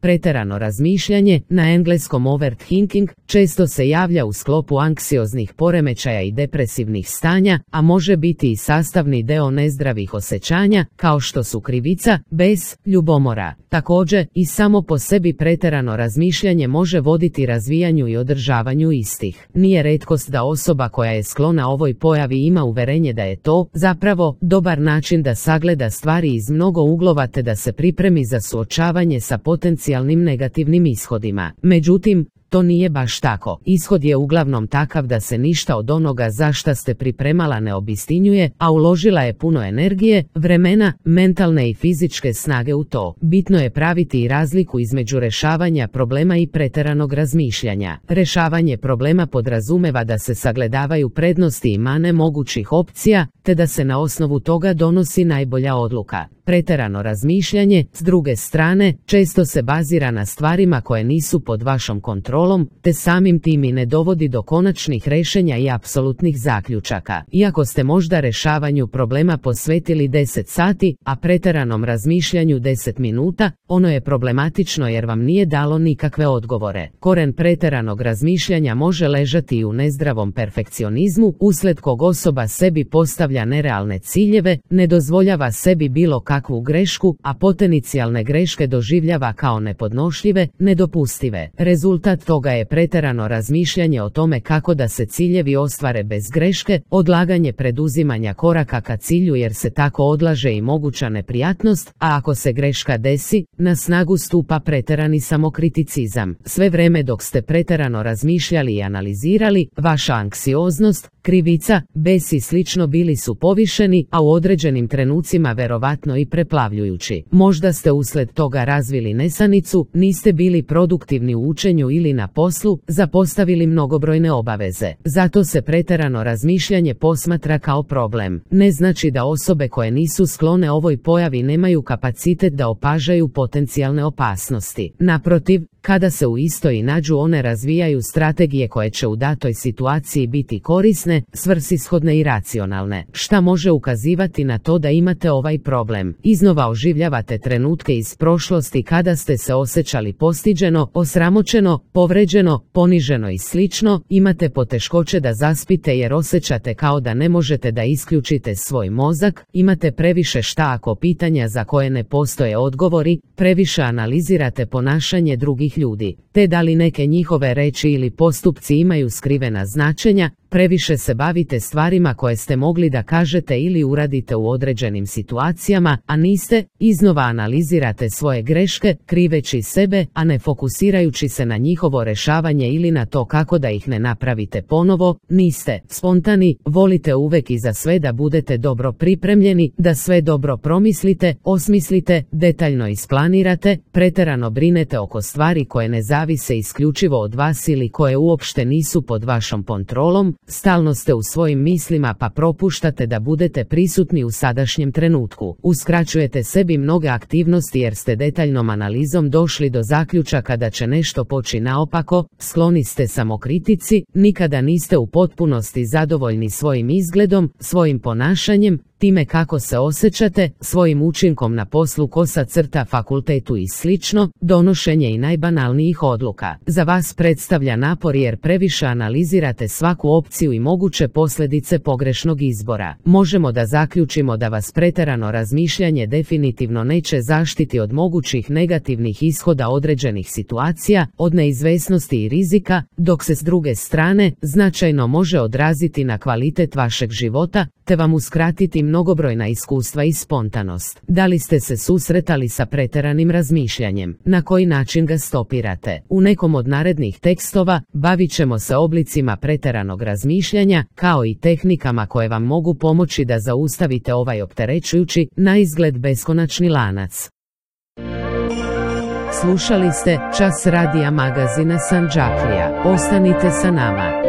Pretjerano razmišljanje, na engleskom overthinking, često se javlja u sklopu anksioznih poremećaja i depresivnih stanja, a može biti i sastavni deo nezdravih osjećanja, kao što su krivica, bes, ljubomora. Također, i samo po sebi pretjerano razmišljanje može voditi razvijanju i održavanju istih. Nije retkost da osoba koja je sklona ovoj pojavi ima uverenje da je to, zapravo, dobar način da sagleda stvari iz mnogo uglova te da se pripremi za suočavanje sa potencijalnim negativnim ishodima. Međutim, to nije baš tako. Ishod je uglavnom takav da se ništa od onoga za šta ste pripremala ne obistinjuje, a uložila je puno energije, vremena, mentalne i fizičke snage u to. Bitno je praviti i razliku između rješavanja problema i pretjeranog razmišljanja. Rješavanje problema podrazumeva da se sagledavaju prednosti i mane mogućih opcija, te da se na osnovu toga donosi najbolja odluka. Pretjerano razmišljanje, s druge strane, često se bazira na stvarima koje nisu pod vašom kontrolom, te samim tim i ne dovodi do konačnih rješenja i apsolutnih zaključaka. Iako ste možda rješavanju problema posvetili 10 sati, a pretjeranom razmišljanju 10 minuta, ono je problematično jer vam nije dalo nikakve odgovore. Koren pretjeranog razmišljanja može ležati i u nezdravom perfekcionizmu, uslijed kog osoba sebi postavlja nerealne ciljeve, ne dozvoljava sebi bilo kakvu grešku, a potencijalne greške doživljava kao nepodnošljive, nedopustive. Rezultat toga je pretjerano razmišljanje o tome kako da se ciljevi ostvare bez greške, odlaganje preduzimanja koraka ka cilju jer se tako odlaže i moguća neprijatnost, a ako se greška desi, na snagu stupa pretjerani samokriticizam. Sve vrijeme dok ste pretjerano razmišljali i analizirali, vaša anksioznost, krivica, bes i slično bili su povišeni, a u određenim trenucima verovatno i preplavljujući. Možda ste uslijed toga razvili nesanicu, niste bili produktivni u učenju ili na poslu, zapostavili mnogobrojne obaveze. Zato se pretjerano razmišljanje posmatra kao problem. Ne znači da osobe koje nisu sklone ovoj pojavi nemaju kapacitet da opažaju potencijalne opasnosti. Naprotiv, kada se u istoj nađu one razvijaju strategije koje će u datoj situaciji biti korisne, svrsishodne i racionalne. Šta može ukazivati na to da imate ovaj problem? Iznova oživljavate trenutke iz prošlosti kada ste se osjećali postiđeno, osramoćeno, povređeno, poniženo i slično, imate poteškoće da zaspite jer osjećate kao da ne možete da isključite svoj mozak, imate previše šta ako pitanja za koje ne postoje odgovori, previše analizirate ponašanje drugih ljudi, te da li neke njihove reči ili postupci imaju skrivena značenja, previše se bavite stvarima koje ste mogli da kažete ili uradite u određenim situacijama, a niste, iznova analizirate svoje greške, kriveći sebe, a ne fokusirajući se na njihovo rješavanje ili na to kako da ih ne napravite ponovo, niste spontani, volite uvek i za sve da budete dobro pripremljeni, da sve dobro promislite, osmislite, detaljno isplanirate, pretjerano brinete oko stvari koje ne zavise isključivo od vas ili koje uopšte nisu pod vašom kontrolom, stalno ste u svojim mislima pa propuštate da budete prisutni u sadašnjem trenutku. Uskraćujete sebi mnoge aktivnosti jer ste detaljnom analizom došli do zaključaka da će nešto poći naopako, skloni ste samokritici, nikada niste u potpunosti zadovoljni svojim izgledom, svojim ponašanjem, time kako se osjećate, svojim učinkom na poslu, kosa crta, fakultetu i slično, donošenje i najbanalnijih odluka. Za vas predstavlja napor jer previše analizirate svaku opciju i moguće posljedice pogrešnog izbora. Možemo da zaključimo da vas pretjerano razmišljanje definitivno neće zaštiti od mogućih negativnih ishoda određenih situacija, od neizvesnosti i rizika, dok se s druge strane značajno može odraziti na kvalitet vašeg života, te vam uskratiti mnogobrojna iskustva i spontanost. Da li ste se susretali sa pretjeranim razmišljanjem? Na koji način ga stopirate? U nekom od narednih tekstova bavit ćemo se oblicima pretjeranog razmišljanja, kao i tehnikama koje vam mogu pomoći da zaustavite ovaj opterećujući, naizgled beskonačni lanac. Slušali ste Čas radija magazina Sandžaklija. Ostanite sa nama.